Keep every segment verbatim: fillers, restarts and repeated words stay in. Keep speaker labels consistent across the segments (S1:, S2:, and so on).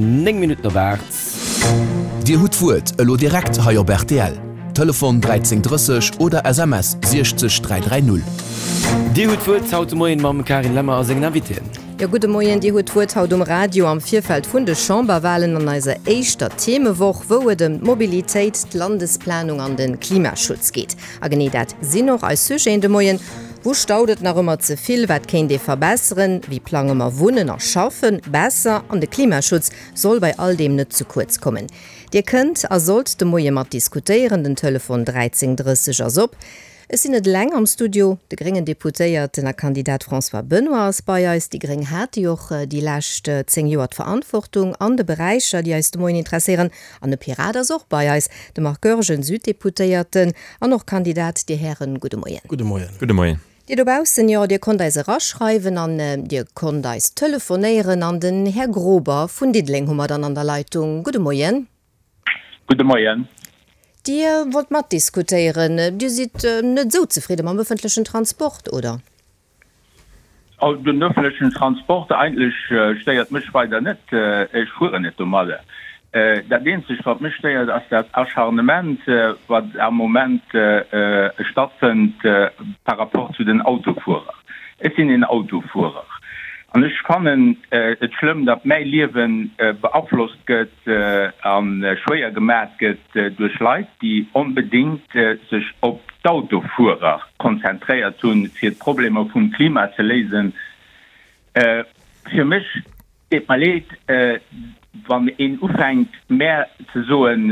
S1: Néng Minutten op aacht.
S2: Dir hutt d'Wuert elo direkt hei op rtl. Telefon dräizéng drësseg oder S M S siechzeg dräi dräi null.
S1: Dir hutt d'Wuert haut de Moien mam Carine Lemmer a sengen Invitéen.
S3: Jo, gudde Moien. Dir hutt d'Wuert haut um Radio am Virfeld vun de Chamberwalen an eiser éischter Themewoch, wou et ëm d'Mobilitéit, d'Landesplanung an de Klimaschutz geet. A genee dat sinn och eis Sujeten de Moien. Wou staut et nach ëmmer ze vill? Wat kéint ee verbesseren? Wéi plange mer Wunnen a Schaffen besser? An de Klimaschutz soll bei all deem net ze kuerz kommen. Dir kënnt a sollt de Moie mat diskutéieren, den Telefon dräizéng drësseg ass op. Ech sinn net eleng am Studio, de gréngen Deputéierten a Kandidat François Benoy ass bei eis. Déi gréng hate jo och déi lescht zéng Joer d'Verantwortung an de Beräicher, déi eis de Moien interesséieren. An e Pirat ass och bei eis, de Marc Goergen, Süddeputéierten an och Kandidat. Dir Hären, gudde Moien.
S4: Gudde Moien.
S5: Gudde Moien.
S3: Dir dobaussen, jo, Dir konnt eis eraschreiwen an Dir konnt eis telefonéieren. An den Här Grober vun Diddeleng hu mer dann an der Leitung. Gudde Moien.
S6: Gudde Moien.
S3: Dir wollt matdiskutéieren. Dir sidd net esou zefridde mam ëffentlechen Transport, oder?
S6: Oh, den öffentlichen Transport eigentlech stéiert mech weider net. Ech fueren net domadder. Dat eenzegt, wat mech stéiert, ass dat Acharnement, wat am Moment stattfënnt par rapport zu den Autofuerer. Ech sinn een Autofuerer an ech fannen et schlëmm, datt mäi Liewe beaflosst gëtt a schwéier gemat gëtt duerch Leit, déi onbedéngt sech op d'Autofuerer konzentréiert hunn, fir d'Problemer vum Klima ze léisen. Fir mech, deet mer leed, wann een ufänkt mär ze soen,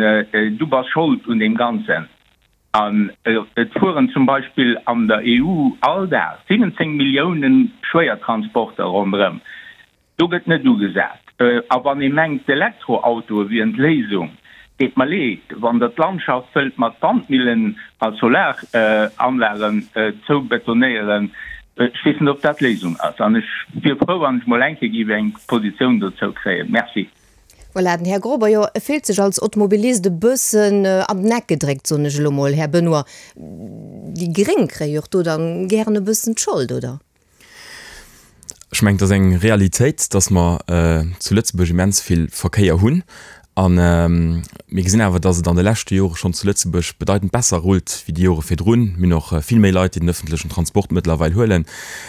S6: du bass Schold un deem Ganzen, an et fueren zum Beispill an der E U all Dag siwwenzéng Millioune Schwéiertransporter ronderëm, do gëtt net ugesat. A wann ee mengt d'Elektroautoe wieren d'Léisung, deet mer leed, wann der d'Landschaft wëllt mat Wandmillen a Solaranlagen zoubetonéieren, ech weess net, ob dat d'Léisung ass. An ech wier frou, wann ech mol eng Kéier géif eng Positioun dozou kréien. Merci.
S3: Voilà, den Här Grober, jo, e fillt sech als Automobilist e bëssen an den Eck gedréckt, soen ech elo mol. Här Benoy, déi Gréng kréie jo och do dann gären e bëssen d'Schold, oder?
S5: Ech mengen, et ass eng Realitéit, dass mer zu Lëtzebuerg immens vill Verkéier hunn. A mir gesinn awer, dass et an de leschte Jore schonn zu Lëtzebuerg bedeitend besser rullt wéi déi Jore virdrun. Mir hunn och vill méi Leit, déi den ëffentlechen Transport mëttlerweil huelen.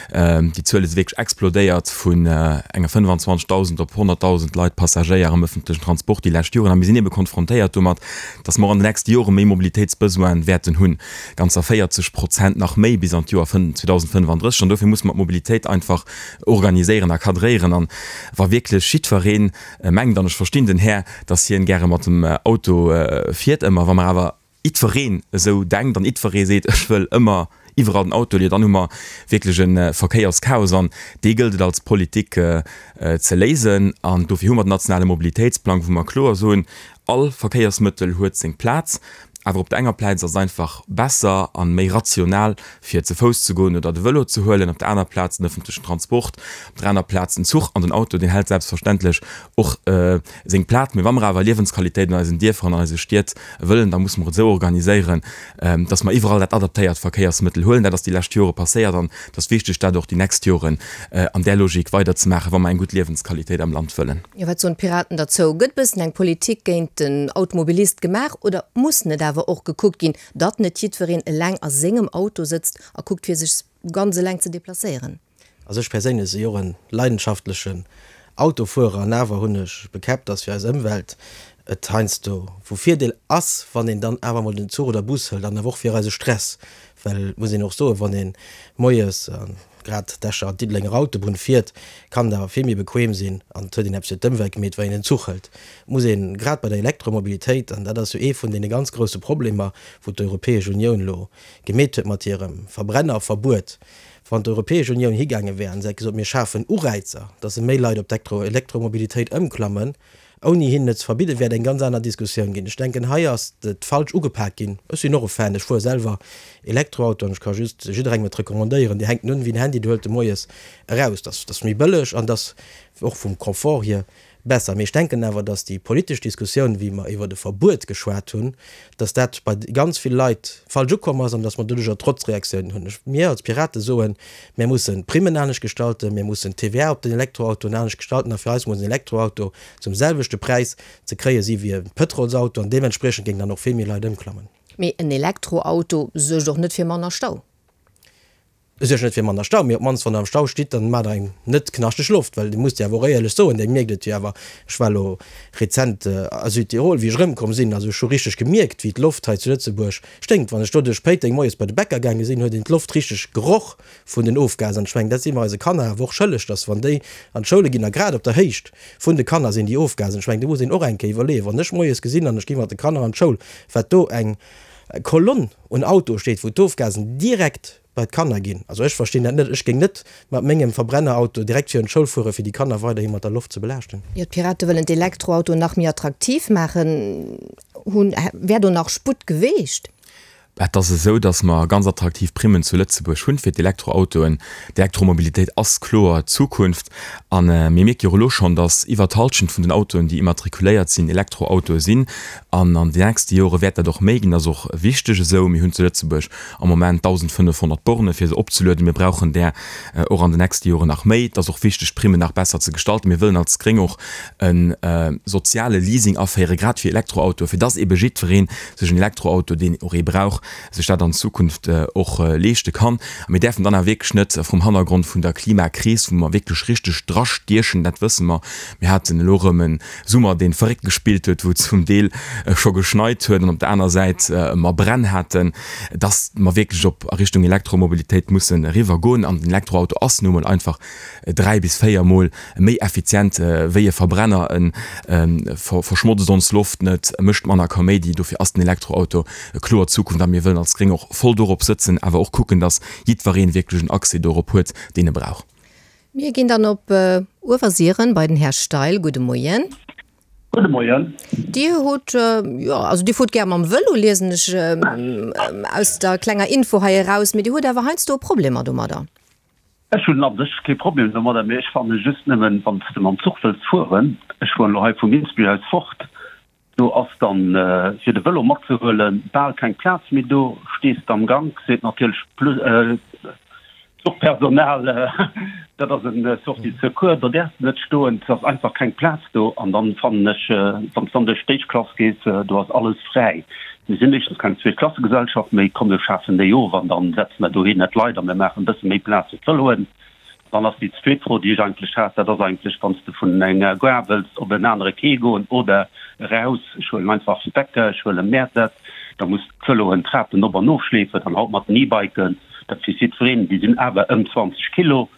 S5: Déi Zuel ass wierklech explodéiert vun enger fënnefanzwanzegdausend op honnertdausend Leit, Passagéier am ëffentlechen Transport déi lescht Joren. A mir sinn ebe konfrontéiert domat, dass mer och an de nächste Jore méi Mobilitéitsbesoine wäerten hunn, ganzer véierzeg Prozent nach méi bis an d'Joer zweedausendfënnefandrësseg. An dofir musse mer d'Mobilitéit einfach organiséieren a cadréieren. An wa wierklech jiddweree mengt, an ech verstinn den Här, dass hien gäre mat dem Auto fiert ëmmer, wa mer awer jiddwereen esou denkt an jiddweree seet, ech wëll ëmmer iwwerall den Auto, jo dann hu mer wierklech e Verkéierschaos an dee gëllt et als Politik ze léisen. An dofir hu mer den nationale Mobilitéitsplang, wou mer kloer soen, all Verkéiersmëttel huet seng Plaz. Awer op der enger Plaz ass et einfach besser a méi rational, fir ze Fouss ze goen oder de Vëlo ze huelen, op der aner Plaz den ëffentlechen Transport, op der aner Plaz den Zuch an den Auto, deen hält selbstverständlech och seng Plaz. Mee wa mer awer Liewensqualitéit an eisen Dierfer an an eise Stied wëllen, da musse mer et esou organiséieren, dass mer iwwerall dat adaptéiert Verkéiersmëttel huelen. Dat ass déi lescht Jore passéiert an et ass wichteg, dat och déi nächst Joren an där Logik weiderzemaachen, wa mer eng gutt Liewensqualitéit am Land wëllen.
S3: Jo, wat soen d'Piraten derzou? Gëtt bëssen eng Politik géint den Automobilist gemaach oder muss net awer och gekuckt ginn, datt net jiddwereen eleng a sengem Auto sëtzt a kuckt fir sech ganz eleng ze deplacéieren?
S4: Also ech perséinlech si och en leidenschaftlechen Autofuerer an awer hunn ech bekäppt, datt fir eis Ëmwelt et heiansdo vu Virdeel ass, wann een dann awer mol den Zuch oder Bus hëlt an awer och fir eise Stress, well et muss een och soen, wann ee moies grad d'Escher an d'Diddelenger Autobunn fiert, kann et awer vill méi bequem sinn an et huet een eppes fir d'Ëmwelt gemeet, wann een den Zuch hëlt. Et muss een grad bei der Elektromobilitéit, an dat ass jo ee vun deene ganz grousse Problemer, wou d'Europäesch Unioun elo gemeet huet mat hirem Verbrennerverbuet, wann d'Europäesch Unioun higaange wär an se hätt gesot, mir schafen Ureizer, dass méi Leit op d'Elektromobilitéit ëmklammen, ouni hinnen et ze verbidden, wär et eng ganz aner Diskussioun ginn. Ech denken, hei ass et falsch ugepak ginn. Ech sinn och e Fan, ech fuere selwer Elektroauto an ech ka just jidderengem et recommandéieren. Dir hänkt en un wéi en Handy, dir huelt e moies eraus. Dat ass méi bëlleg an dat ass och vum Confort hier besser. Mee ech denken awer, dass déi politesch Diskussioun, wéi mer iwwert e Verbuet geschwat hunn, dass dat bei ganz vill Leit falsch ukomm ass an dass mer doduercher Trotzreaktiounen hunn. Ech, mir als Pirate soen, mir mussen d'Primmen anescht gestalten, mir mussen d'TVA op den Elektroautoen anescht gestalten a fir eis muss en Elektroauto zum selwechte Präis ze kréie si wéi e Pëtrolsauto an deementspriechend géingen dann och vill méi Leit ëmklammen.
S3: Mee en Elektroauto suergt och net fir manner Stau.
S4: E suergt net fir manner Stau, mee op d'mannst wann der am Stau stitt, dann maacht der eng net knaschteg Loft, well Dir musst jo awer och éierlech soen, Dir mierkt et jo awer, ech war elo rezent a Südtirol, wéi ech erëmkomm sinn, also ech hu richteg gemierkt, wéi d'Loft hei zu Lëtzebuerg sténkt. Wann ech do duerch Péiteng moies bei de Bäcker gaange sinn, huet een d'Loft richteg geroch vun den Ofgasen. An ech mengen, dat si mer eise Kanner awer och schëlleg, dass wann déi an d'Schoule ginn, a grad op der Héicht vun de Kanner sinn déi Ofgasen, ech mengen, do muss een och eng Kéier iwwerleeën, wann ech moies gesinn an ech gi mat de Kanner an d'Schoul, wat do eng Kolonn un Autoe steet, wou d'Ofgasen direkt bei d'Kanner ginn. Also ech verstinn dat net. Ech géing net mat mengem Verbrennerauto direkt virun d'Schoul fueren, fir déi Kanner weiderhi mat der Loft ze belaaschten.
S3: Jo, d'Pirate wëllen d'Elektroautoen nach méi attraktiv maachen. Hunn, wär do nach Sputt geweecht?
S5: Et ass esou, datt mer ganz attraktiv Primmen zu Lëtzebuerg hunn fir d'Elektroautoen. D'Elektromobilitéit ass kloer d'Zukunft. A mir mierke jo och elo schonn, datt iwwer d'Hallschent vun den Autoen, déi immatrikuléiert sinn, Elektroautoe sinn. An an den nächste Jore wäert dat och méi ginn. Dat ass och wichteg esou. Mir hunn zu Lëtzebuerg am Moment dausendfënnefhonnert Borne fir se opzelueden. Mir brauchen där och an den nächste Joren nach méi. Et ass och wichteg, d'Primmen nach besser ze gestalten. Mir wëllen als Gréng och e soziale Leasing aféieren, grad fir Elektroautoen, fir dass eebe jiddweree sech en Elektroauto, deen och ee brauch, sech dat an Zukunft och leeschte kann. A mir däerfen dann awer wierklech net vrum Hannergrond vun der Klimakris, wou mer wierklech richteg drastiechen, dat wësse mer, mir haten elo erëm e Summer, dee verréckt gespillt huet, wou zum Deel scho geschneit huet an op der aner Säit mer Bränn haten, dass mer wierklech op a Richtung Elektromobilitéit mussen eriwwergoen. An den Elektroauto ass nu emol einfach dräi bis véier Mol méi effizient wéi e Verbrenner. E verschmotzt ons Loft net, e mécht manner Kaméidi. Dofir ass den Elektroauto kloer d'Zukunft a mir wëllen als Gréng och voll dorop sëtzen, awer och kucken, dass jiddweree wierklech en Accès dorop huet, deen e brauch.
S3: Mir ginn dann op Uewersiren bei den Här Steil. Gudde Moien.
S7: Gudde Moien.
S3: Dir hutt, jo, also Dir fuert gär mam Vëlo, liesen ech aus der klenger Info hei eraus, mee Dir hutt awer heiansdo Problemer domadder.
S7: Ech hunn a sech kee Problem domadder, mee ech fanne just nëmmen, wann s de mam Zuch wëlls fueren, ech fueren elo hei vu Minsbech aus fort, do ass dann fir de Vëlo matzehuelen bal keng Plaz méi do, stees de am Gank, seet natierlech d'Zuchpersonal, dat ass en Sortie de secours, do däerfs de net stoen, et ass einfach keng Plaz do. An dann fannen ech, wann s de an duerch d'éischt Klass gees, do ass alles fräi. Mir sinn éischtens keng Zweetklassegesellschaft méi, komm mir schafen déi of an dann setze mer dohinner d'Leit a mir maachen e bësse méi Plaz fir d'Vëloen. Dann ass déi zweet Fro, déi ech eigentlech hat, dat ass eigentlech, wann s de vun enger Gare wëlls op en anere Quai goen oder eraus, ech huelen einfach Bäcker, ech huelen Mäertert, da muss d'Vëloen d'Trapen op an ofschleefen, dann haut mat den E-Biken, dat weess jiddwereen, déi sinn awer ëm zwanzeg Kilo,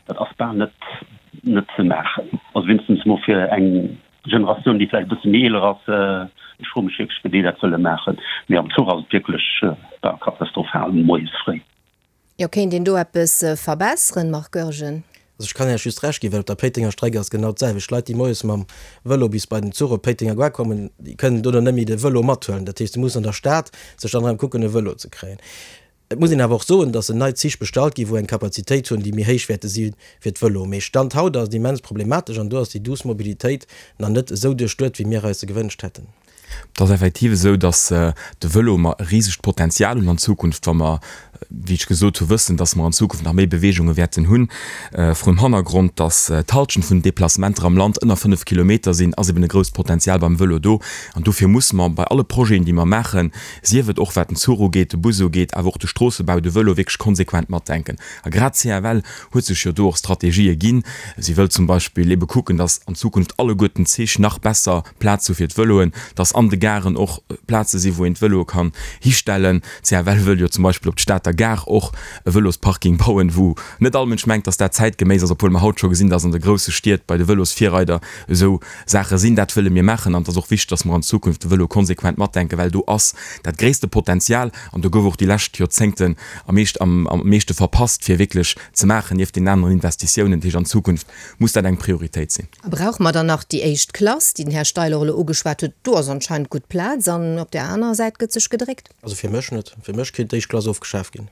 S7: dat ass bal net net ze maachen. Also wéinstens mol fir eng Generatioun, déi vläicht e bësse méi eeler ass. Ech froe mech wierklech, wéi déi dat wëlle maachen. Mee am Zuch ass et wierklech bal katastrophal moies fréi.
S3: Jo, kéint een do eppes verbesseren, Marc Goergen?
S4: Also ech kann Iech just Recht ginn, well op der Péitenger Streck ass genau d'selwecht. Leit, déi moies mam Vëlo bis bei den Zuch op Péitenger Gare kommen, déi kënnen dono net méi de Vëlo mathuelen. Dat heescht, se mussen an der Stad sech dann erëm kucken e Vëlo ze kréien. Et muss een awer och soen, dass en nei Zich bestallt ginn, wou eng Kapazitéit hunn, déi méi héich wäerte si fir d'Vëlo. Mee Stand haut ass et immens problematesch an do ass déi douce Mobilitéit nach net esou duerchduet, wéi mir eis se gewënscht hätten.
S5: Et ass effektiv esou, dass de Vëlo mer e risegt Potenzial hunn an Zukunft, wa mer, wéi ech gesot hu, wëssen, dass mer an Zukunft nach méi Beweegunge wäerten hunn. Vrum Hannergrond, dass d'Halschent vun den Deplacementer am Land ënner fënnef Kilometer sinn, ass eben e grousst Potenzial beim Vëlo do. An dofir musse mer bei alle Projeten, déi mer maachen, sief et och wat den Zuch ugeet, de Bus ugeet, awer och de Stroossebau, de Vëlo wierklech konsequent matdenken. A grad d'CFL huet sech jo do och Strategië ginn. Si wëllt zum Beispill ebe kucken, dass an Zukunft alleguerten d'Zich nach besser Plaz hu fir d'Vëloen, dass an de Garen och Plaze sinn, wou een d'Vëloe kann histellen. D'CFL wëll jo zum Beispill op d'Stater Gare och e Vëlosparking bauen, wou net all Mënsch mengt, dass dat zäitgeméiss ass, obwuel mer haut scho gesinn, dass an de grousse Stied bei de Vëlosvirreider esou Saache sinn. Dat wëlle mir maachen an et ass och wichteg, dass mer an Zukunft de Vëlo konsequent matdenken, well do ass dat gréisste Potenzial an do gouf och déi lescht Joerzéngten am meescht am meeschte verpasst, fir wierklech ze maachen, nieft deenen aneren Investitiounen. Dat heescht, an Zukunft muss dat eng Prioritéit sinn.
S3: A brauche mer dann nach déi éischt Klass, déi den Här Steil och elo ugeschwat huet? Do ass anscheinend gutt Plaz an op där anerer Säit gëtt sech gedréckt.
S4: Also fir mech net. Fir mech kéint d'éischt Klass ofgeschaf ginn.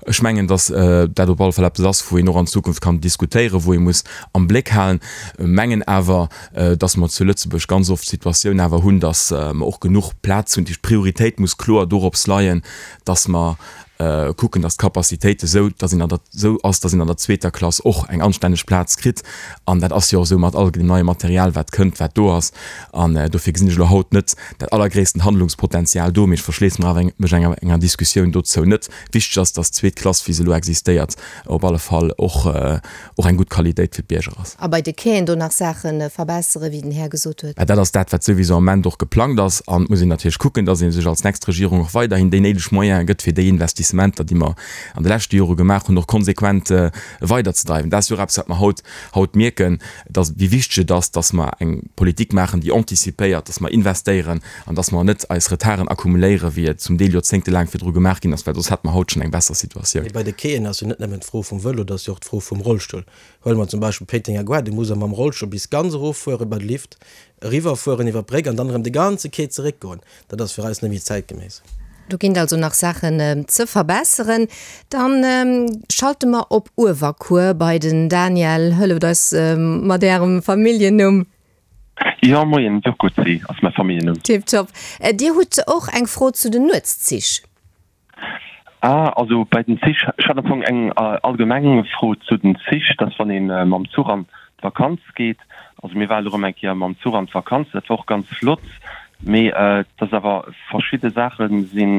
S5: Ech mengen, datt dat op alle Fall eppes ass, wou een och an Zukunft kann diskutéieren, wou ee muss am Bléck halen. Mengen awer, datt mer zu Lëtzebuerg ganz oft d'Situatioun awer hunn, datt mer och genuch Plaz hunn. Déi Prioritéit muss kloer dorops leien, datt mer kucken, datt d'Capacitéit esou, datt een an der, esou ass, datt een an der zweeter Klass och eng anstänneg Plaz kritt. An dat ass jo och esou mat all dem neie Material, wat kënnt, wat do ass. An dofir gesinn ech elo haut net dat allergréissten Handlungspotenzial do, mee ech verschléisse mer awer mech enger, enger Diskussioun dozou net. Wichteg ass, datt d'zweet Klass, wéi se elo existéiert, op alle Fall och, och eng gutt Qualitéit fir d'Bierger ass.
S3: A bei de Quaien do nach Saache verbesseren, wéi den Här gesot huet.
S5: Mä dat ass dat, wat souwisou am Ament och geplangt ass. An et muss een natierlech kucken, datt ee sech als nächst Regierung och weiderhin déi néideg Moyene gëtt, fir déi Investissementer, déi mer an de leschte Jore gemaach hunn, och konsequent weiderzedreiwen. Dat ass jo och eppes, wat mer haut, haut mierken, datt, wéi wichteg et ass, datt mer eng Politik maachen, déi antizipéiert, datt mer investéieren an datt mer net eis Retarden akkumuléieren, wéi et zum Deel joerzéngtelaang virdru gemaach ginn ass, well soss hätte mer haut schonn eng besser Situatioun.
S4: Mee bei de Quaien ass jo net nëmmen d'Fro vum Vëlo, et ass jo och d'Fro vum Rollstull. Huele mer zum Beispill Péitenger Gare, do muss e mam Rollstull bis ganz eroffuere bei de Lift, eriwwerfueren iwwer d'Bréck an dann erëm de ganze Quai zeréckgoen. Dat ass fir eis net méi zäitgeméiss.
S3: Do ginn et also nach Saachen ze verbesseren. Dann schalte mer op Uewerkuer bei den Daniel. Hëlleft eis mat Ärem Familljennumm.
S8: Jo, moien, Jurkoczy ass mäi Familljennumm.
S3: Tiptop. Dir hutt och eng Fro zu den Nuetszich?
S8: Ah, also bei den Zich, ech hat am Fong eng allgemeng Fro zu den Zich, dass wann ee mam Zuch an d'Vakanz geet, also mir waren elo erëm eng Kéier mam Zuch an d'Vakanz, dat war och ganz flott, mee dass awer verschidde Saache sinn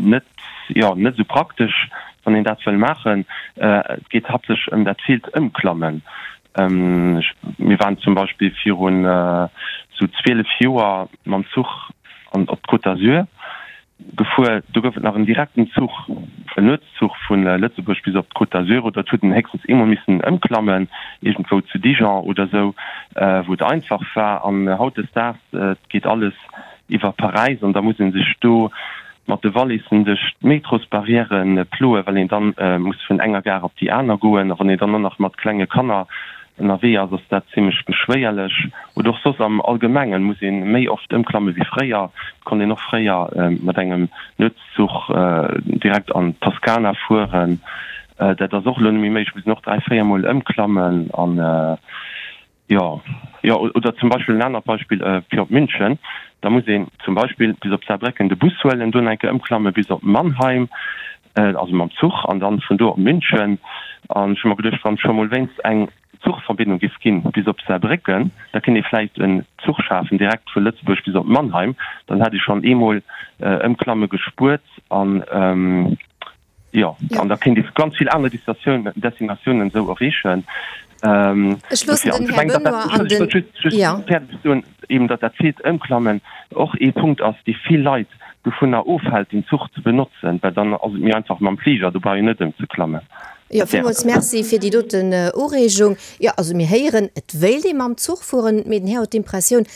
S8: net, jo, net esou praktesch, wann een dat wëll maachen. Et geet haaptsächlech ëm dat villt Ëmklammen. Mir waren zum Beispill virun esou zwielef Joer mam Zuch an op d'Côte d'Azur gefuer. Do gouf et nach en direkten Zuch, en Nuetszuch vu Lëtzebuerg bis op d'Côte d'Azur. Oder et huet een héchstens eemol missen ëmklammen, iergendwou zu Dijon oder esou, wou et einfach war. An hautdesdaags, et geet alles iwwer Paräis an da muss ee sech do mat de Wallissen duerch d'Metrosbarrièren ploen, well een dann muss vun enger Gare op déi aner goen. A wann een dann och nach mat klenge Kanner ënnerwee ass, ass dat zimmlech beschwéierlech. Oder och soss am Allgemengen muss ee méi oft ëmklamme wéi fréier. Et konnt een och fréier mat engem Nuetszuch direkt an d'Toskana fueren. Dat ass och elo net méi méiglech, muss een och dräi, véier Mol ëmklammen. An jo, jo, oder zum Beispill en anert Beispill fir op München, da muss een zum Beispill bis op Saarbrécken de Bus huelen, do nach eng Kéier ëmklamme bis op Mannheim, also mam Zuch, an dann vun do op München. An ech hu mer geduecht, wann et scho mol wéinst eng Zuchverbindung giff ginn bis op Saarbrécken, da kéint ee vläicht en Zuch schafen direkt vu Lëtzebuerg bis op Mannheim, dann hätt ee schonn eemol Ëmklamme gespuert an jo, an da kéint ee ganz vill aner Destinatiounen esou erreechen.
S3: Ech loossen den Här Benoy an den, jo.
S8: Fäerdeg soen, eben datt dat villt Ëmklammen och ee Punkt ass, dee vill Leit dovunner ofhält, den Zuch ze benotzen, well dann ass et méi einfach mam Fliger, do brauch een net ëmzeklammen.
S3: Jo, villmools Merci fir déi doten Ureegung. Jo, also mir héieren, et wéilt ee mam Zuch fueren, mee den Här huet d'Impressioun,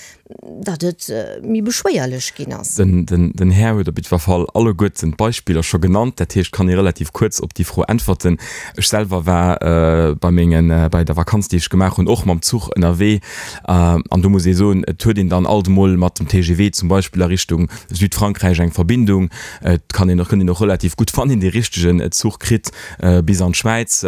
S3: datt et méi beschwéierlech ginn ass.
S5: Den Här huet op jiddwer Fall alleguerten d'Beispiller scho genannt. Dat heescht, kann ee relativ kuerz op déi Fro äntwerten. Ech selwer war bei mengen, bei der Vakanz, déi ech gemaach hunn, och mam Zuch ënnerwee. An do muss ee soen, et huet een dann alt emol mat dem T G V zum Beispill a Richtung Südfrankräich eng Verbindung. Et kann een och, kënnt een och relativ gutt, wann een dee richtegen Zuch kritt, bis an d'Schwäiz,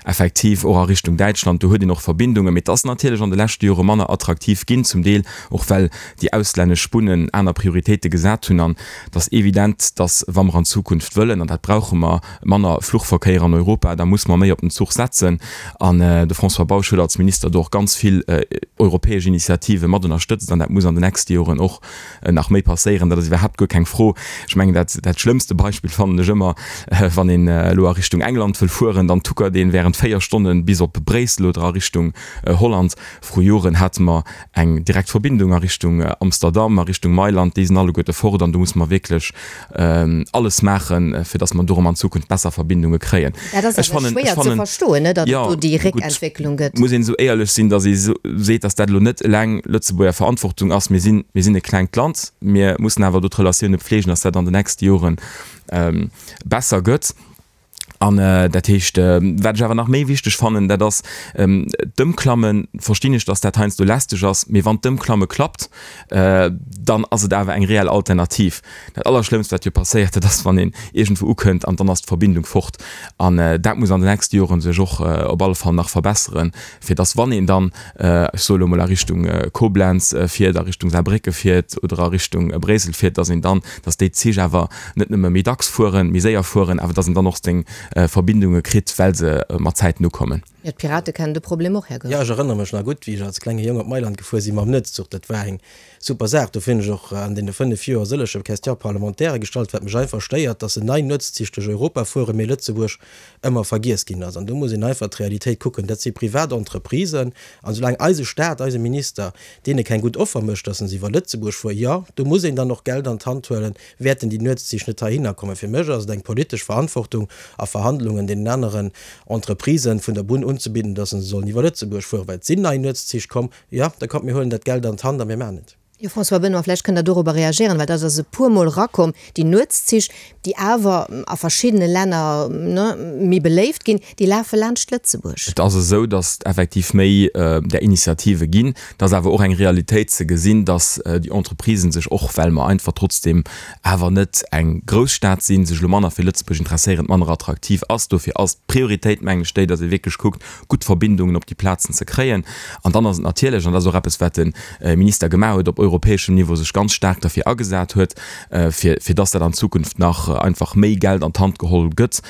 S5: effektiv och a Richtung Däitschland, do huet een och Verbindungen. Mee et ass natierlech an de leschte Jore manner attraktiv ginn, zum Deel och well déi auslännesch Bunnen aner Prioritéite gesat hunn. An et ass evident, dass, wa mer an Zukunft wëllen, an dat brauche mer, manner Fluchverkéier an Europa, da muss mer méi op den Zuch setzen. An de François Bausch huet als Minister do och ganz vill europäesch Initiative mat ënnerstëtzt an dat muss an den nächste Joren och nach méi passéieren. Dat ass iwwerhaapt guer keng Fro. Ech mengen, dat, dat schlëmmste Beispill fannen ech ëmmer, wann een elo a Richtung England wëll fueren, dann tuckert een während véier Stonnen bis op Bréissel oder a Richtung Holland. Vru Joren hate mer eng direkt Verbindung a Richtung Amsterdam, a Richtung Mailand. Déi sinn alleguerte fort an do musse mer wierklech alles maachen, fir datt mer do erëm an Zukunft besser Verbindunge kréien.
S3: Dat ass awer schwéier ze verstoen, net, datt et do déi Réckentwécklung gëtt.
S5: Muss een esou éierlech sinn, datt ee seet, datt dat elo net eleng Lëtzebuerger Verantwortung ass. Mir sinn, mir sinn e klengt Land, mir mussen awer do d'Relatioune pflegen, datt dat an den nächste Jore besser gëtt. An dat heescht, wat ech awer nach méi wichteg fannen, dat ass d'Ëmklammen, verstinn ech, datt dat heiansdo lästeg ass, mee wann d'Ëmklamme klappt, dann ass et awer eng reell Alternativ. Dat Allerschlëmmst, wat jo passéiert, dat ass, wann een iergendwou ukënnt an dann ass d'Verbindung fort. An dat muss an den nächste Joren sech och op alle Fall nach verbesseren, fir datt, wann een dann, ech soe lo mol, a Richtung Koblenz fiert, a Richtung Saarbrécke fiert oder a Richtung Bréissel fiert, datt een dann, datt déi Zich awer net nëmme méi dacks fueren, méi séier fueren, awer datt een dann och seng Verbindunge kritt, well se mat Zäiten ukommen.
S3: Jo, d'Pirate kennen de Problem och, Här
S4: Goergen. Jo, ech erënnere mech nach gutt, wéi ech als klenge Jong op Mailand gefuer si mam Nuetszuch. Dat war eng super Saach. Dofir hunn ech och an deene fënnef Joer sëllege Question-parlementairë gestallt, wat mech einfach stéiert, dass se nei Nuetszich duerch Europa fueren, mee Lëtzebuerg ëmmer vergiess ginn ass. An do muss een einfach d'Realitéit kucken. Dat si privat Entreprisen. An soulaang eise Staat, eise Minister deene keng gutt Offer mécht, dass se iwwer Lëtzebuerg fueren, jo, do muss een dann och Geld an d'Hand huelen, wäerten déi Nuetszich net heihinner kommen. Fir mech ass et eng politesch Verantwortung a Verhandlungen deenen aneren Entreprisen vun der Bunn unzebidden, dass se sollen iwwer Lëtzebuerg fueren, well et sinn nei Nuetszich komm. Jo, da kommt, mir huelen dat Geld an d'Hand a mir maachen et.
S3: Jo, François Benoy, vläicht kënnt Der dorobber reagieren, well dat ass e puermol erakomm, déi Nuetszich, déi awer a verschiddene Länner, ne, méi beléift ginn, déi lafe laanscht Lëtzebuerg.
S5: Et ass esou, dass et effektiv méi där Initiative ginn. Et ass awer och eng Realitéit ze gesinn, dass déi Entreprisen sech och, well mer einfach trotzdeem awer net eng Grousstad sinn, sech elo manner fir Lëtzebuerg interesséieren, et manner attraktiv ass. Dofir ass d'Prioritéit, mengen ech, déi, dass ee wierklech kuckt, gutt Verbindungen op déi Plazen ze kréien. An dann ass et natierlech, an dat ass och eppes, wat de Minister gemaach huet, op europäeschem Niveau sech ganz staark derfir agesat huet, fir, fir dass dat an Zukunft nach einfach méi Geld an d'Hand geholl gëtt,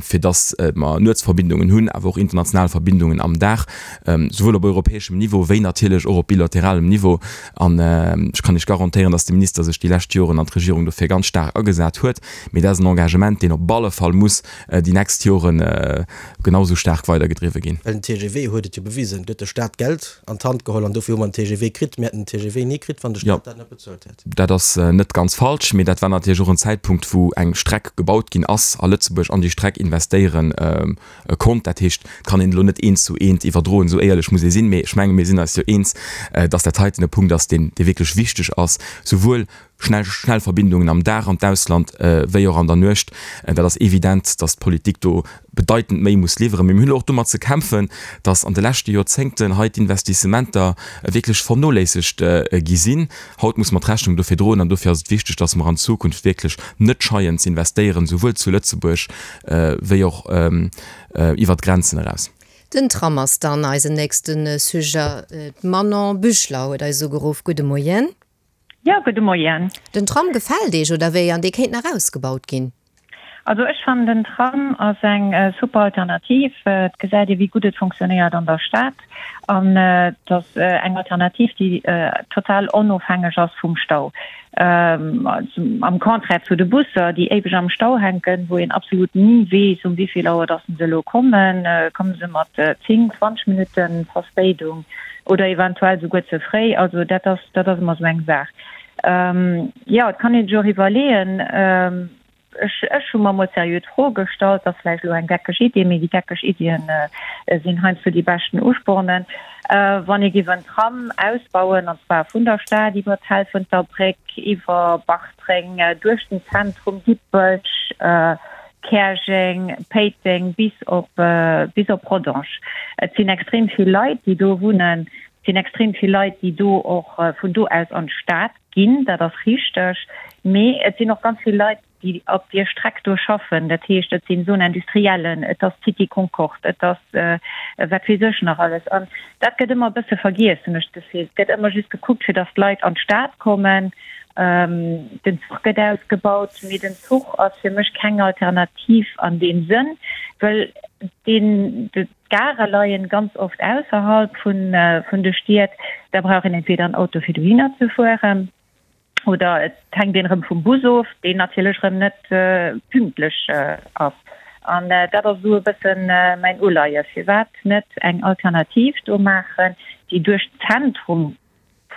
S5: fir dass mer Nuetsverbindungen hunn, awer och international Verbindungen am Dag. souwuel op europäeschem Niveau wéi natierlech och op bilateralem Niveau. An ech kann Iech garantéieren, dass de Minister sech déi lescht Joren an d'Regierung dofir ganz staark agesat huet. Mee dat ass en Engagement, deen op alle Fall muss déi nächst Jore genau esou staark weidergedriwwe ginn.
S4: Well den T G V huet et jo bewisen, do huet de Stat Geld an d'Hand geholl an dofir hu mer den T G V kritt. Mir hätten den T G V ni kritt, wann de Stat dat net bezuelt hätt.
S5: Dat ass net ganz falsch, mee dat war natierlech och en Zäitpunkt, wou eng Streck gebaut ginn ass a Lëtzebuerg an déi Streck investéiere konnt. Dat heescht, et kann een elo net eent zu eent iwwerdroen, esou éierlech muss ee sinn. Mee ech menge mir sinn eis jo eens, datt dat heiten e Punkt ass, deen dee wierklech wichteg ass, souwuel schnell schnell Verbindungen am Dag an d'Ausland wéi och an der Nuecht. Dat ass evident, datt d'Politik do bedeitend méi muss liwweren. Mee mir hunn elo och domat ze kämpfen, datt an de leschte Joerzéngten hei d'Investissementer wierklech vernoléissegt gi sinn. Haut muss mer d'Rechnung dofir droen an dofir ass et wichteg, datt mer an Zukunft wierklech net scheien ze investéieren, souwuel zu Lëtzebuerg wéi och iwwert d'Grenzen eraus.
S3: Den Tram ass dann eisen nächste Sujet. D'Manon Büchler huet eis ugeruff. Gudde Moien.
S9: Jo, gudde Moien.
S3: Den Tram gefält Iech, oder wéi? An dee kéint nach ausgebaut ginn?
S9: Also ech fannen den Tram ass eng super Alternativ. Et gesäit ee wéi gutt et funktionéiert an der Stad an et ass eng Alternativ déi total onofhängeg ass vum Stau. Am Contraire zu de Busser déi éiweg am Stau hänken, wou een absolut ni weess um wéivill Auer dass se elo kommen. Komme se mat zéng, zwanzeg Minutte Verspéidung oder eventuell souguer ze fréi. Also dat ass dat ass ëmmer esou eng Saach. Jo, et kann een sech och iwwerleeën, ech, ech hu mer mol seriö d'Fro gestallt, ass vläicht elo eng geckeg Idee, mee déi geckeg Iddien sinn heiansdo déi beschten Uspornen, wann ee géif en Tram ausbauen, an zwar vun der Stad iwwer d'Helfenterbréck, iwwer Bartreng, duerch den Zentrum, Dippech, Käerjeng, Péiteng bis op, bis op Rodange. Et sinn extrem vill Leit, déi do wunnen. Et sinn extrem vill Leit, déi do och vun do aus an d'Stad ginn, dat ass richteg. Mee et sinn och ganz vill Leit, déi op deer Streck do schaffen. Dat heescht, et sinn Zone industriellen, et ass d'Cité Concorde, et ass wat weess ech nach alles. An dat gëtt ëmmer e bësse vergiess, hunn ech d'Gefill. Et gëtt ëmmer just gekuckt, fir datt d'Leit an d'Stad kommen. Den Zuch gëtt ausgebaut, mee den Zuch ass fir mech keng Alternativ an deem Sënn, well deen, d'Gare leien ganz oft ausserhalb vun, vun de Stied. Da brauch een entweder en Auto fir dohinner ze fueren oder et hänkt een erëm vum Bus of, deen natierlech erëm net pünktlech ass. An dat ass esou e bëssen mäin Uleies, firwat net eng Alternativ do maachen, déi duerch d'Zentrum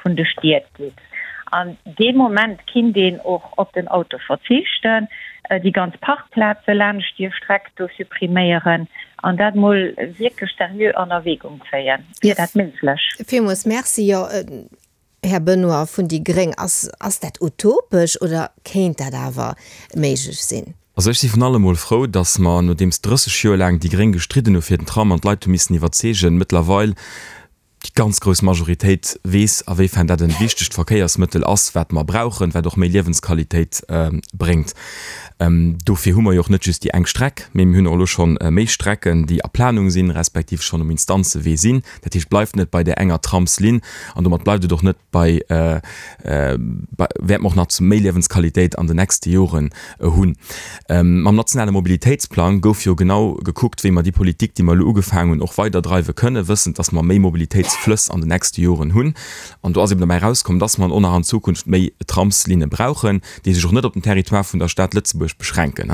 S9: vun de Stied geet. An dee Moment kinnt een och op den Auto verzichten, déi ganz Parkplaze laanscht déi Streck do suppriméieren an dat mol wierklech seriö an Erwägung zéien. Wier dat méiglech?
S3: Villmools Merci. Jo, Här Benoy vun déi gréng, ass, ass dat utopesch oder kéint dat awer méiglech sinn?
S5: Also ech si vun allem mol frou, datt mer, nodeems drësseg Joer laang déi Gréng gestridden hu fir den Tram an d'Leit hu missen iwwerzeegen, mëttlerweil déi ganz grouss Majoritéit weess, awéifern dat e wichtegt Verkéiersmëttel ass, wat mer brauchen, wat och méi Liewensqualitéit bréngt. Dofir hu mer jo och net just déi eng Streck, mee mir hunn och elo scho méi Strecken, déi a Planung sinn, respektiv schonn um Instanzewee sinn. Dat heescht, et bleift net bei där enger Tramslinn an domat bleift et och net bei, wäerte mer och nach méi Liewensqualitéit an den nächste Joren hunn. Mam nationale Mobilitéitsplang gouf jo genau gekuckt, wéi mer déi Politik, déi mer elo ugefaangen hunn, och weiderdreiwe kënnen, wëssend, dass mer méi Mobilitéitsflëss an den nächste Joren hunn. An do ass eben dobäi erauskomm, dass mer och nach an Zukunft méi Tramslinne brauchen, déi sech och net op den Territoire vun der Stad Lëtzebuerg beschränken.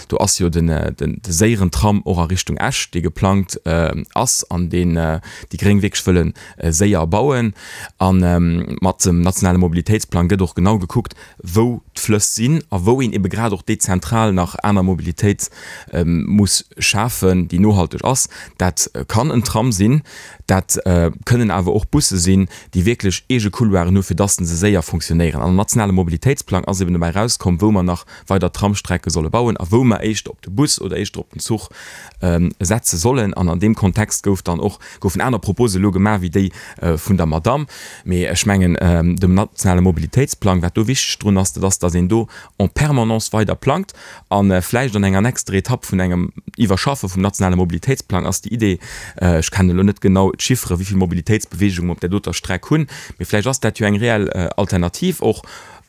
S5: Do ass jo de séieren Tram och a Richtung Esch, dee geplangt ass an deen déi Gréng wierklech wëlle séier bauen. A mat dem nationale Mobilitéitsplang gëtt och genau gekuckt, wou d'Flëss sinn a wou een ebe grad och dezentral nach aner Mobilitéit muss schafen, déi nohalteg ass. Dat kann en Tram sinn, dat kënnen awer och Busse sinn, déi wierklech eege Couloiren hu fir dass se séier fonctionnéieren. An am nationale Mobilitéitsplang ass eben dobäi erauskomm, wou mer nach weider Tramstrecke solle bauen a wou mer éischter op de Bus oder éischter op den Zuch setze sollen. An an deem Kontext gouf dann och, goufen aner Propose elo gemaach wéi déi vun der Madamm. Mee ech mengen, dem nationale Mobilitéitsplang, wat do wichteg drun ass, dat ass, dass een do en permanence weider plangt a vläicht an enger nächster Etapp vun engem Iwwerschaffe vum nationale Mobilitéitsplang ass déi Idee, ech kennen elo net genau d'Chiffere wéi vill Mobilitéitsbeweegung mer op där doter Streck hunn, mee vläicht ass dat jo eng reell Alternativ och.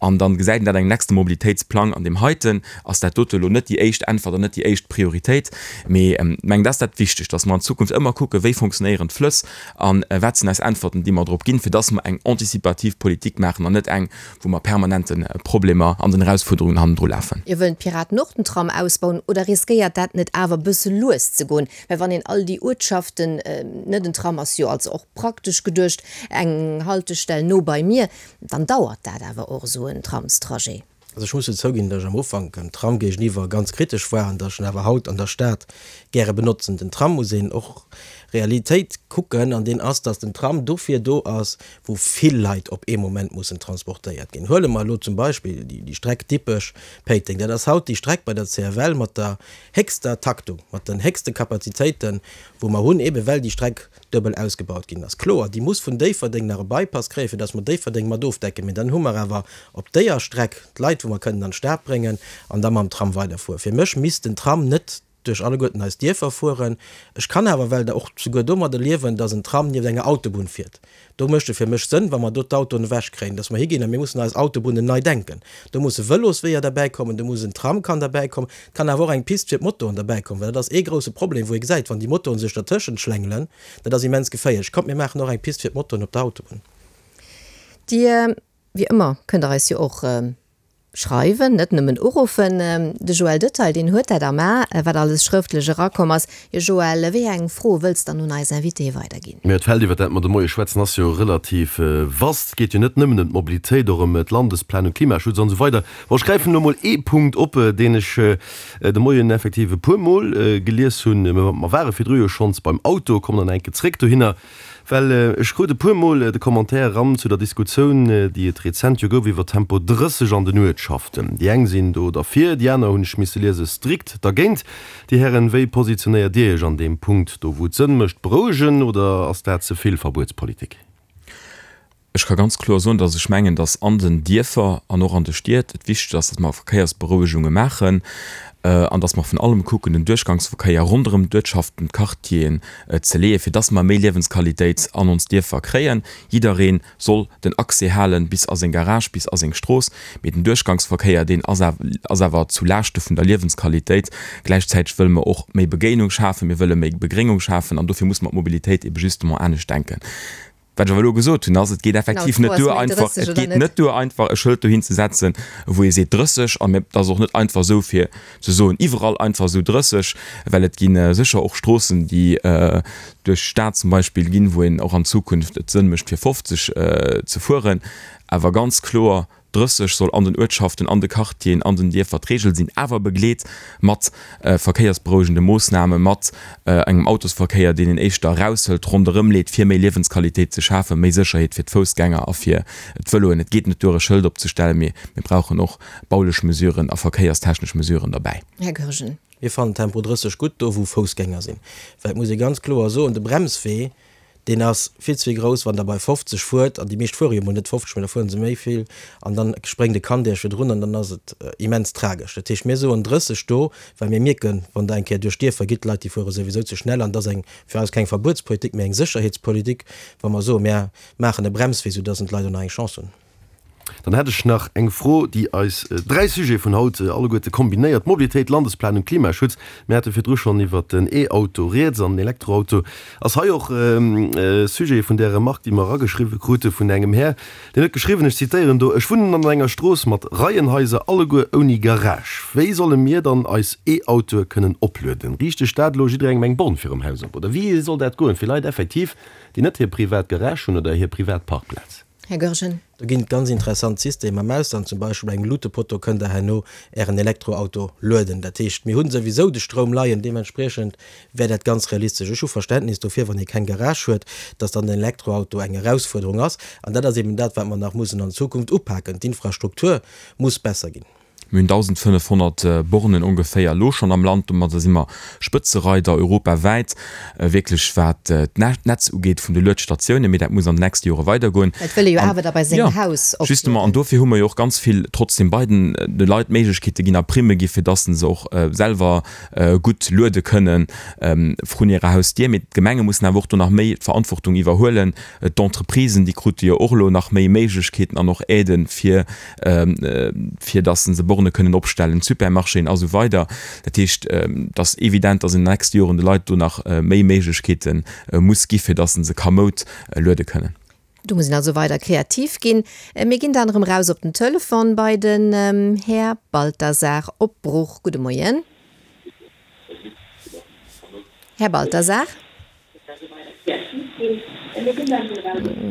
S5: An dann gesäit een dat engem nächste Mobilitéitsplang. An deem heiten ass dat dote elo net déi éischt Äntwert an net déi éischt Prioritéit. Mee ech mengen, dat ass dat Wichtegt, dass mer an Zukunft ëmmer kucken, wéi fonctionnéieren d'Flëss a wat sinn eis Äntwerten, déi mer drop ginn, fir dass mer eng anticipativ Politik maachen an net eng, wou mer permanent de Problemer an den Erausfuerderungen hannendru lafen.
S3: Jo, wëllen d'Piraten och den Tram ausbauen oder riskéiert dat net awer bësse lues ze goen? Well wann een all déi Uertschaften, net en Tram ass jo also och praktesch geduecht eng Haltestell no bei mir, dann dauert dat awer och esou en Tramstrajet.
S4: Also ech muss jo zouginn, datt ech am Ufank dem Tram géigeniwwer ganz kritesch war an datt ech en awer haut an der Stad gäre benotzen. Den Tram muss een och Realitéit kucken an deen ass, datt den Tram dofir do ass, wou vill Leit op ee Moment mussen transportéiert ginn. Huele mer elo zum Beispill déi Streck Dippech-Péiteng. Dat ass haut déi Streck bei der C F L mat der héchster Taktung, mat den héchste Kapazitéiten, wou mer hunn, eebe well déi Streck duebel ausgebaut ginn ass. Kloer, déi muss vun Déifferdeng nach e Bypass kréien, fir datt mer Déifferdeng mat ofdecken, mee dann hu mer awer op déier Streck d'Leit, wou mer kënnen an d'Stad bréngen an da mam Tram weiderfueren. Fir mech misst den Tram net duerch alleguerten eis Dierfer fueren. Ech kann awer well da och souguer domadder liewen, datt en Tram nieft enger Autobunn fiert. Do mécht et fir mech Sënn, wa mer do d'Autoen ewechkréien, datt mer higinn a mir mussen eis Autobunnen nei denken. Do musse Vëlosweeër derbäikommen, do muss en Tram kann derbäikommen, et kann awer och eng Pist fir d'Motoen derbäikommen, well dat ass ee grouse Problem, wou ee gesäit, wann déi Motoen sech dertëschent schlängelen, dat ass immens geféierlech. Kommt, mir maachen och eng Pist fir d'Motoen op der Autobunn.
S3: Dir, wéi ëmmer, kënnt Der eis jo och Schreiwen, net nëmmen uruffen. De Joël Detaille, deen huet dat am A, wat alles schrëftlech erakomm ass. Jo Joël, wéi eng Fro wëlls dann un eis Invitée weiderginn?
S10: Mä d'Feld, iwwer dat mer de Moie schwätzen, ass jo relativ vast. Et geet jo net nëmmen ëm d'Mobilitéit, och ëm d'Landesplanung, Klimaschutz an esou weider. Bon, ech gräifen elo mol ee Punkt op, deen ech de Moien effektiv e puermol gelies hunn. Mer ware virdru jo schonns beim Auto, kommen dann enke zréck dohinner. Well ech krut e puer Mol de Commentaire eran zu der Diskussioun, déi et rezent jo gouf iwwer Tempo drësseg an den Uertschaften. Déi eng sinn do derfir, déi aner, hunn ech misse liesen, strikt dergéint. Dir Hären, wéi positionéiert Dir Iech an deem Punkt do, wou et Sënn mécht, berouegen, oder ass dat ze vill Verbuetspolitik?
S5: Ech ka ganz kloer soen, dass ech mengen, dass an den Dierfer an och an de Stied et wichteg ass, dass mer Verkéiersberouegunge maachen an dass mer vun allem kucken, den Duerchgangsverkéier ronderëm d'Uertschaften, d'Quartieren ze leeën, fir dass mer méi Liewensqualitéit an ons Dierfer kréien. Jidderee soll den Accès hale bis a seng Garage, bis a seng Strooss, mee den Duerchgangsverkéier, deen ass awer zu Laaschte vun der Liewensqualitéit. Gläichzäiteg wëlle mer och méi Begéinung schafen, mir wëlle méi Begréngung schafen an dofir muss mer d'Mobilitéit ebe justement anescht denken. Wat ech awer elo gesot hunn, ass, et geet effektiv net duer einfach, et geet net duer einfach e Schëld dohin ze setzen, wou ee seet drësseg, an et ass och net einfach esou fir ze soen iwwerall einfach esou drësseg, well et gi sécher och Stroossen, déi duerch d'Stad zum Beispill ginn, wou een och an Zukunft et Sënn mécht fir fofzeg ze fueren. Awer ganz kloer, drësseg soll an den Uertschaften, an de Quartieren, an den Dierfer d'Reegel sinn, awer begleet mat verkéiersberouegende Moossname, mat engem Autosverkéier, deen een éischter eraushëlt, ronderëm leet, fir méi Liewensqualitéit ze schafen, méi Sécherheet fir d'Foussgänger a fir d'Vëloen. Et geet net duer, e Schëld opzestellen, mee mir brauchen och baulech Mesuren a verkéierstechnesch Mesuren derbäi.
S3: Här Goergen.
S4: Mir fannen Tempo drësseg gutt, do wou Foussgänger sinn. Well et muss ee ganz kloer soen, de Bremswee, deen ass vill ze grouss, wann Der bei fofzeg fuert, an déi meescht fuere jo mol net fofzeg, mä da fuere se méi vill, an dann spréngt e Kand Iech virdrun an dann ass et immens tragesch. Dat heescht, mir soen drësseg do, well mir mierken, wann Der eng Kéier duerch d'Dierfer gitt, d'Leit déi fuere souwisou ze schnell, an et ass eng fir eis keng Verbuetspolitik, mä eng Sécherheetspolitik, wa mer soen, mir maachen e Bremswee, soudass d'Leit och nach eng Chance hunn.
S10: Dann hätt ech nach eng Fro, déi eis dräi Sujete vun haut alleguerte kombinéiert, Mobilitéit, Landesplanung, Klimaschutz. Mir hate virdru schonn iwwert den E-Auto rieds an den Elektroauto ass hei och Sujet vun där Remark, déi mer erageschriwwe krute vun engem Här, deen huet geschriwwen, ech zitéieren do, Ech wunnen an enger Strooss mat Reienhaiser, alleguer ouni Garage. Wéi solle mir dann eis E-Autoe kënnen oplueden? Riicht ech dat elo jidderengem eng Born virum Haus op oder wéi soll dat goen, fir Leit effektiv, déi net hir privat Garage hunn oder hir privat Parkplaz?
S3: Här Goergen.
S4: Do ginn et ganz interessant Systemer am Ausland, zum Beispill bei engem Lutepotto kënnt Der herno Ären Elektroauto lueden. Dat heescht, mir hu souwisou de Stroum leien, deementspriechend wär dat ganz realistesch. Ech hu Verständnis dofir, wann ee keng Garage huet, dass dann den Elektroauto eng Erausfuerderung ass. An dat ass eben dat, wat mer nach mussen an Zukunft upaken. D'Infrastruktur muss besser ginn.
S5: Mir hunn dausendfënnefhonnert Bornen ongeféier elo schonn am Land. Domadder si mer Spëtzereider europawäit, wierklech wat d'Netz ugeet vun de Luedstatiounen. Mee dat muss an den nächste Jore weidergoen.
S3: Et wëll ee jo awer da bei sengem Haus
S5: oplueden. Justement, an dofir hu mer jo och ganz vill trotzdem bei den de Leit Méiglechkeete ginn a Primme gi fir dass se och selwer gutt luede kënnen vrun hirer Hausdier. Mee d'Gemenge mussen awer och do nach méi d'Verantwortung iwwerhuelen. D'Entreprisen, déi krute jo och elo nach méi Méiglechkeeten an och Aiden, fir fir dass se Borne kënnen opstellen, d'Supermarchéen a sou weider. Dat heescht, et ass evident, dass an den nächste Joren de Leit do nach méi Méiglechkeete muss gi fir dass se kamoud luede kënnen.
S3: Do muss een also weider kreativ ginn. Mir ginn dann erëm raus op den Telefon bei den Här Balthasar op Bruch. Gudde Moien. Här Balthasar?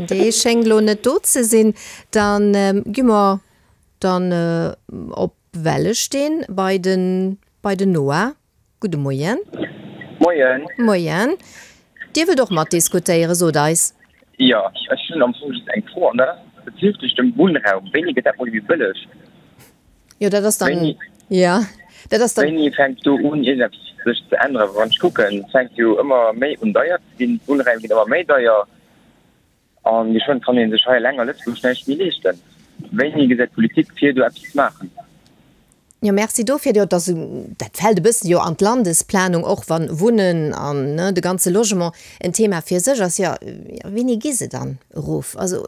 S3: Dee schéngt elo net do ze sinn. Da gi mer dann op Wellesteen bei den, bei den Noah. Gudde Moien.
S11: Moien.
S3: Moien. Dir wëllt och matdiskutéieren, sot eis.
S11: Jo, ech hunn am Fong just eng Fro, an dat ass bezüglech dem Wunnraum. Wéini gëtt dat mol méi bëlleg?
S3: Jo, dat ass dann, jo, dat ass dann.
S11: Wéini fänkt do un iergendeppes sech ze änneren? Wann ech kucken, et fänkt jo ëmmer méi un deier ze ginn, d'Wunnraim ginn ëmmer méi deier a geschwënn kann ee sech hei eleng a Lëtzebuerg näischt méi leeschten. Wéini gesäit d'Politik vir, do eppes ze maachen?
S3: Jo, Merci dofir. Jo, dass, dat fält e bëssen jo an d'Landesplanung, och wann Wunnen an, ne, de ganze Logement en Thema fir sech ass. Jo, wéini gi se dann erof? Also,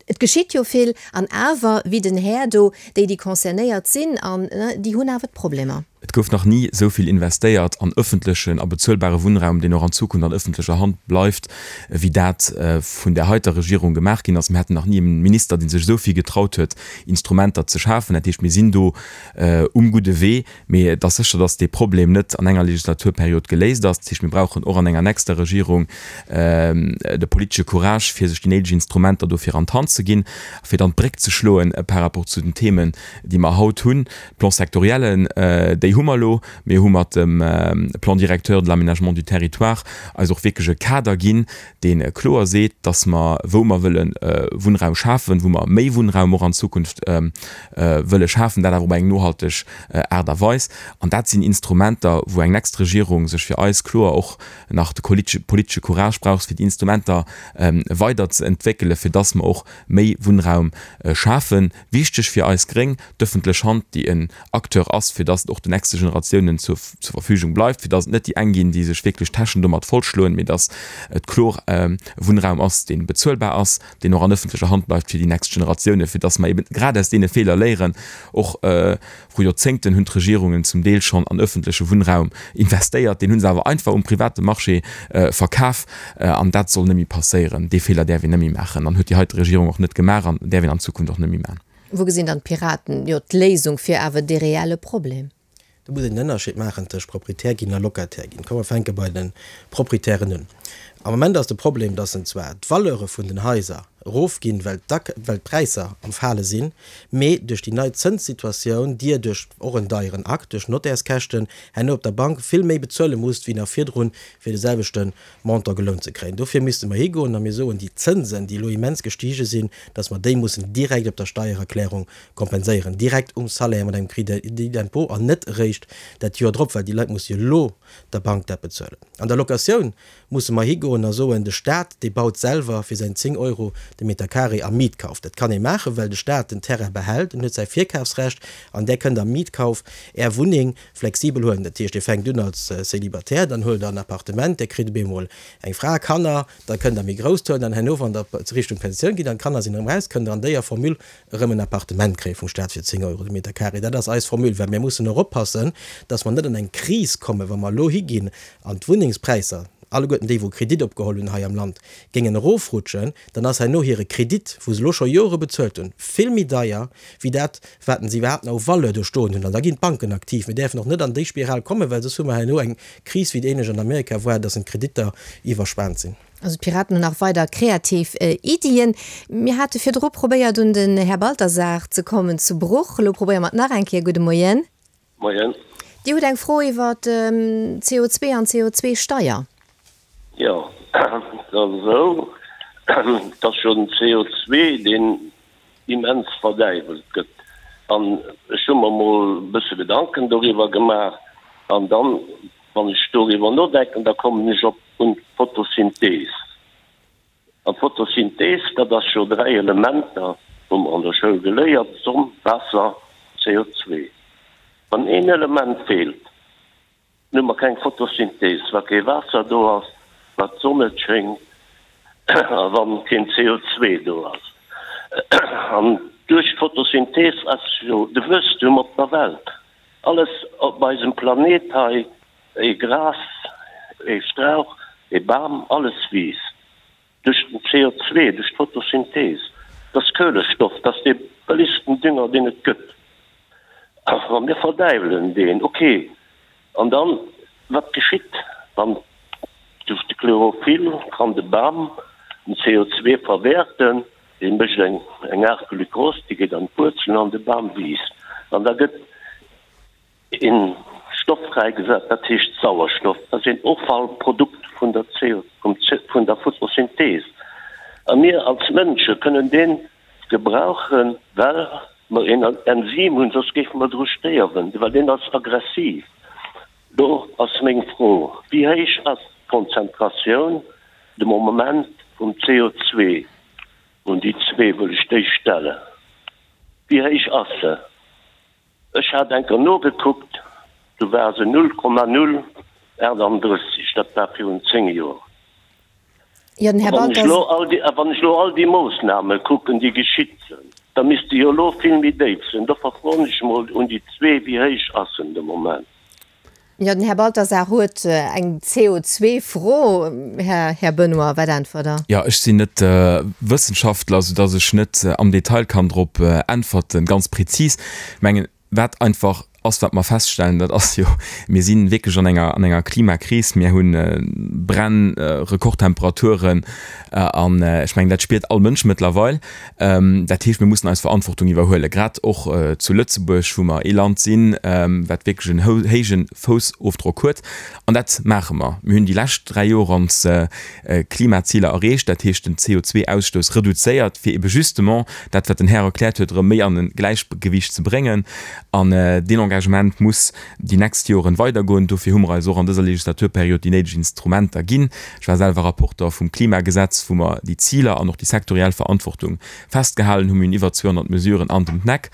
S3: et geschitt jo vill, an awer, wéi den Här do, déi, déi concernéiert sinn, an, ne, déi hunn awer d'Problemer.
S5: Et gouf nach ni esou vill investéiert an ëffentlechen a bezuelbare Wunnraum, deen och an Zukunft an ëffentlecher Hand bleift, wéi dat vun där heiter Regierung gemaach ginn ass. Mir haten nach ni e Minister, dee sech esou vill getraut huet, Instrumenter ze schafen. Dat heescht, mir sinn do um gudde Wee, mee et ass sécher, datt dee Problem net an enger Legislaturperiod geléist ass. Dat heescht, mir brauchen och an enger nächster Regierung de politesche Courage, fir sech déi néideg Instrumenter dofir an d'Hand ze ginn, fir dann d'Bréck ze schloen par rapport zu den Themen, déi mer haut hunn. D'Plans-sectoriellen, déi hu mer elo. Mir hu mat dem Plan directeur de l'aménagement du territoire eis och wierklech e Kader ginn, dee kloer seet, dass mer, wou mer wëlle Wunnraum schafen, wou mer méi Wunnraum och an Zukunft wëlle schafen, dat awer op eng nohalteg Aart a Weis. An dat sinn Instrumenter, wou eng nächst Regierung sech fir eis kloer och nach de politesche Courage brauch, fir déi Instrumenter weider ze entwéckelen, fir dass mer och méi Wunnraum schafen. Wichteg fir eis Gréng, d'ëffentlech Hand, déi en Acteur ass, fir dass et och den nächste Generatiounen zur Verfügung bleift, fir dass et net déi eng ginn, déi sech wierklech d'Täschen domat vollschloen, mee dass et kloer e Wunnraum ass, dee bezuelbar ass, deen och an ëffentlecher Hand bleift fir déi nächst Generatiounen, fir dass mer eben grad aus deene Feeler léieren. Och vru Joerzéngten hunn d'Regierungen zum Deel schonn an ëffentleche Wunnraum investéiert, deen hu se awer einfach um private Marché verkaf an dat soll net méi passéieren. Dee Feeler däerf een net méi maachen an huet déi heite Regierung och net gemaach an däerf een an Zukunft och net méi maachen.
S3: Wou gesinn dann d'Piraten jo d'Léisung fir awer dee reelle Problem?
S4: Do muss een en Ënnerscheed maachen tëscht Proprietär ginn a Locataire ginn. Komm mer fänke bei de Proprietären un. Am Moment ass de Problem, dass en zwar d'Valeure vun den Haiser erofginn, well well d'Präisser am Fale sinn, mee duerch déi nei Zënssituatioun Dir duerch och en deieren Akt, duerch d'Notairskäschten, herno op der Bank vill méi bezuele musst wéi nach virdrun, fir de selwechte Montant gelount ze kréien. Dofir misste mer higoen a mir soen, déi Zënsen, déi elo immens gestige sinn, dass mer déi mussen direkt op der Steiererklärung kompenséieren, direkt um Salaire mat engem Crédit d'impôt an net eréischt dat Joer drop, well déi Leit musse jo elo der Bank dat bezuelen. An der Locatioun musse mer higoen a soen, de Stat, dee baut selwer fir säin zéng Euro de Meter carré am Mietkauf. Dat kann ee maachen, well de Stat den Terrain behält, en huet säi Virkafsrecht an där kënnt am Mietkauf Är Wunneng flexibel huelen. Dat heescht, Dir fänkt un als Célibataire, dann huelt Der en Appartement, Dir kritt op eemol eng Fra, Kanner, da kënnt Der méi grousst huelen an herno, wann Der Richtung Pensioun gitt an d'Kanner sinn erëm raus, kënnt Der an déier Formule erëm en Appartement kréie vum Staat fir zéng Euro de Meter carré. Dat ass eis Formule, well mir mussen och oppassen, dass mer net an eng Kris kommen, wa mer elo higinn an d'Wunnengspräisser, alleguerten déi wou Kredit opgeholl hunn hei am Land, géingen erofrutschen, dann ass herno hire Kredit, wou se elo scho Jore bezuelt hunn, vill méi deier wéi dat, wat se iwwerhaapt nach u Valeur do stoen hunn. An da ginn d'Banken aktiv. Mir däerfen och net an déi Spiral kommen, well soss hu mer herno eng Kris, wéi et ähnlech an Amerika war, dass d'Kreditter iwwerspaant sinn.
S3: Also d'Piraten hunn nach weider kreativ Iddien. Mir hate virdru probéiert un den Här Balthasar ze kommen zu Bruch. Elo probéiere mer et nach eng Kéier. Gudde Moien.
S12: Moien.
S3: Dir hutt eng Fro iwwer C O zwee an C O zwee Steier.
S12: Jo, et ass esou, et ass jo den C O zwee deen immens verdäiwelt gëtt. An ech hu mer mol e bësse Gedanken doriwwer gemaach. An dann, wann ech doriwwer nodenken, da kommen ech op un d'Photosynthees. An d'Photosynthees, dat ass jo dräi Elementer, hu mer an der Schoul geléiert, Sonn, Waasser, C O zwee. Wann een Element feelt, dann hu mer keng Photosynthees, wa kee Waasser do ass, wa d'Sonn net schéngt a wa keen C O zwee do ass. An duerch d'Photosynthees ass jo de Wuesstum op der Welt. Alles op eisem Planet hei, ee Gras, ee Strauch, ee Bam, alles wiisst duerch den C O zwee, duerch d'Photosynthees. Dat ass Kuelestoff, dat ass dee bëllegsten Dünger, deen et gëtt. A mir verdäiwelen deen. Ok, an dann, wat geschitt, wann duerch de Chlorophyll kann de Bam den C O zwee verwäerten, dee mécht eng eng Aart Glukos, déi geet an d'Wuerzelen an de Bam wiisst. An da gëtt een Stoff fräigesat, dat heescht Sauerstoff. Dat ass een Offallprodukt vun der C O, vum C, vun der Photosynthees. A mir als Mënsche kënnen deen gebrauchen, well mer een Enzym hunn, soss géife mer dru stéierwen, well deen ass aggressiv. Do ass meng Fro, Wéi héich ass d'Konzentratioun de Moment vum C O zwee? Un déi zwee wëll ech déi stellen. Wéi héich ass se? Ech hat eng Kéier nogekuckt, do war se null Komma null achtandrësseg, dat war virun zéng Joer.
S3: Jo, den Här
S12: Wann ech
S3: Balthas.
S12: elo all déi, a wann ech elo all déi Moossname kucken, déi geschitt sinn, da misst se jo elo vill méi déif sinn. Dofir froen ech emol un déi zwee, Wéi héich ass en de Moment?
S3: Jo, den Här Balthasar huet eng C O zwee Fro. Här, Här Benoy, wat äntwert Der?
S5: Jo, ech sinn net Wëssenschaftler, soudass ech net am Detail kann drop äntwerten, ganz prezis. Ech mengen, wat einfach ass, wat mer feststellen, dat ass jo, mir si wierklech an enger, an enger Klimakris. Mir hu Bränn, Rekordtemperaturen an ech mengen, dat spiert all Mënsch mëttlerweil. Dat heescht, mir mussen eis Verantwortung iwwerhuelen, grad och zu Lëtzebuerg, wou mer ee Land sinn, wat wierklech en héije Foussofdrock huet. An dat maache mer. Mir hunn déi lescht dräi Joer ons Klimaziler erreecht, dat heescht den C O zwee Ausstouss reduzéiert, fir ebe justement dat, wat den Här erkläert huet, erëm méi an e Gläichgewicht ze bréngen. An deen Engagement muss déi nächst Joren weidergoen. Dofir hu mer eis och an dëser Legislaturperiod déi néideg Instrumenter ginn. Ech war selwer Rapporteur vum Klimagesetz, wou mer déi Ziler an och déi sektoriell Verantwortung festgehalen hunn. Mir hunn iwwer zweehonnert Mesuren an dem Kneck.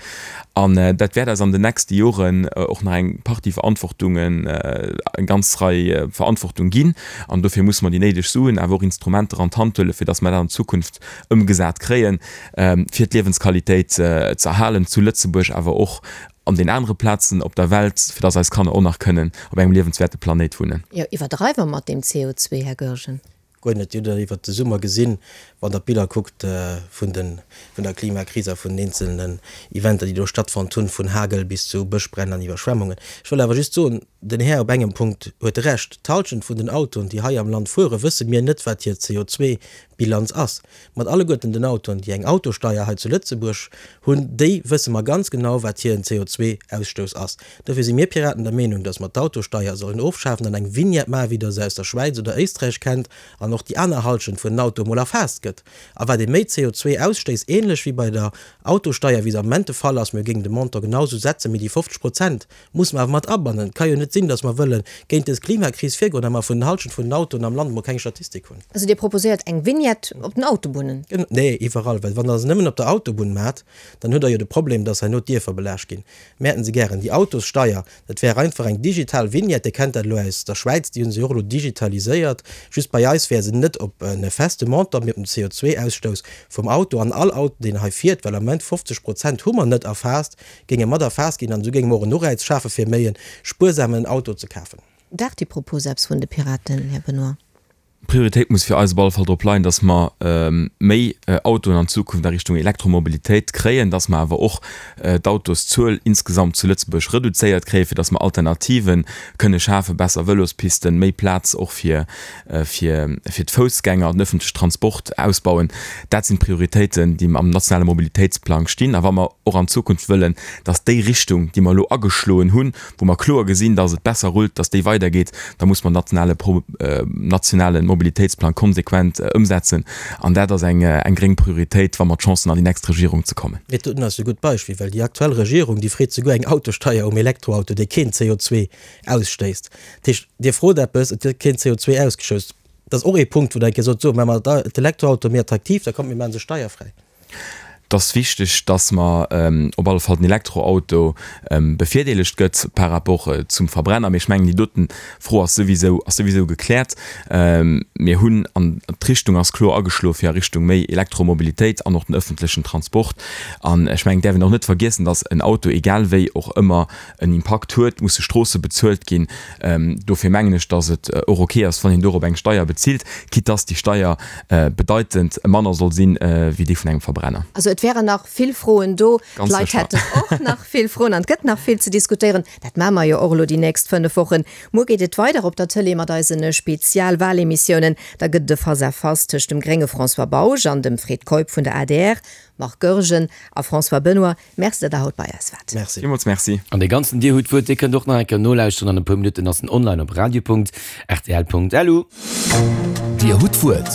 S5: An dat wäert eis an den nächste Joren och nach eng Partie Verantwortungen, eng ganz Rei Verantwortung ginn. An dofir musse mer déi néideg Suen, awer och Instrumenter an d'Hand huelen, fir datt mer dat an Zukunft ëmgesat kréien, fir d'Liewensqualitéit ze erhalen zu Lëtzebuerg, awer och an den anere Plazen op der Welt, fir datt eis Kanner och nach kënnen op engem liewenswäerte Planéit wunnen.
S3: Jo, iwwerdreiwe mer mat deem C O zwee, Här Goergen?
S4: Guer net. Dir hutt dat iwwert de Summer gesinn, wann Der d'Biller kuckt vun de, vun der Klimakris a vun den eenzelnen Eventer, déi do stattfonnt hunn, vun Hagel bis zu Bëschbränn an Iwwerschwemmungen. Ech wëll awer just soen, den Här op engem Punkt huet Recht, D'Halschent vun den Autoen, déi hei am Land fueren, wësse mir net, wat hir C O zwei Bilanz ass. Mat alleguerten den Autoen, déi eng Autosteier hei zu Lëtzebuerg hunn, déi wësse mer ganz genau, wat hiren C O zwei Ausstouss ass. Dofir si mir Piraten der Meenung, dass mer d'Autosteier sollen ofschafen an eng Vignette maachen, wéi Der se aus der Schwäiz oder Éisträich kennt, an och déi aner Halschent vun den Autoe mol erfaasst gëtt. A wat ee méi C O zwei ausstéisst, ähnlech wéi bei der Autosteier, wéi se am Moment de Fall ass, mir géingen de Montant genau esou setzen, mee déi fofzeg Prozent musse mer awer mat abannen. Et ka jo net sinn, dass mer wëlle géint dës Klimakris virgoen a mer vun den Halschent vun den Autoen am Land emol keng Statistik hunn.
S3: Also Dir proposéiert eng Vignette op den Autobunnen?
S4: Nee, iwwerall, well wann Der se nëmmen op der Autobunn maacht, dann hutt Der jo de Problem, dass herno d'Dierfer belaascht ginn. Mir hätten se gären, déi Autossteier, dat wär einfach eng digital Vignette, Dir kennt dat elo aus der Schwäiz, déi hu se jo och elo digitaliséiert, just bei eis wär se net op e feste Montant, mee op den C O zwei Ausstouss vum Auto. An all Auto, deen hei fiert, well am Moment fofzeg Prozent hu mer net erfaasst, géinge mat erfaasst ginn an esou géinge mer och en Ureiz schafe fir méi e spuersamen Auto ze kafen.
S3: Daacht déi Propos eppes vun de Piraten, Här Benoy?
S5: D'Prioritéit muss fir eis op alle Fall drop leien, dass mer méi Autoen an Zukunft a Richtung Elektromobilitéit kréien, dass mer awer och d'Autoszuel insgesamt zu Lëtzebuerg reduzéiert kréien, fir dass mer Alternative kënne schafen, besser Vëlospisten, méi Plaz och fir fir fir d'Foussgänger, den öffentliche Transport ausbauen. Dat sinn d'Prioritéiten, déi am nationale Mobilitéitsplang stinn. A wa mer och an Zukunft wëllen, dass déi Richtung, déi mer elo ageschloen hunn, wou mer kloer gesinn, dass et besser rullt, dass déi weidergeet, da muss mer nationale nationale Mobilitéitsplang konsequent ëmsetzen. An dat ass eng eng gréng Prioritéit, wa mer d'Chance hunn, an déi nächst Regierung ze kommen.
S4: Mee dat ass e gutt Beispill, well déi aktuell Regierung, déi freet souguer eng Autosteier um Elektroauto, dee keen C O zwei ausstéisst. Dat heescht, Dir frot eppes, et gëtt keen C O zwei ausgestouss. Dat ass och ee Punkt, wou Der eng Kéier sot, so, maache mer d'Elektroauto méi attraktiv, da kommt, mir maache se steierfräi.
S5: Et ass wichteg, dass mer op alle Fall den Elektroauto bevirdeelegt gëtt par rapport zum Verbrenner. Mee ech mengen, déi doten Fro ass souwisou, ass souwisou gekläert. Mir hunn, an d'Richtung ass kloer ageschloe fir a Richtung méi Elektromobilitéit an och den öffentlechen Transport. An ech mengen, et däerf een och net vergiessen, dass en Auto, egal wéi, och ëmmer en Impakt huet, musse Stroosse bezuelt ginn. Dofir mengen ech, dass et och ok ass, wann een dorop eng Steier bezilt, quitte dass déi Steier bedeitend manner soll sinn wéi déi vun engem Verbrenner.
S3: Also et wären nach vill Froen do.
S5: Ganz
S3: D'Leit
S5: sécher.
S3: hätten och nach vill Froen an et gëtt nach vill ze diskutéieren. Dat maache mer jo och elo déi nächst fënnef Wochen. Muer geet et weider op der Tëlee mat eise Spezialwalemissiounen. Da gëtt et e Face-à-face tëscht dem grénge François Bausch an dem Fred Keup vun der A D R, Marc Goergen a François Benoy. Merci, datt Der haut bei eis waart.
S4: Merci.
S5: Villmools merci.
S1: An dee ganzen Dir hutt d'Wuert, dee kënnt och nach eng Kéier nolauschteren. An e puer Minutten ass en online op radio punkt r t l punkt l u.
S2: Dir hutt d'Wuert.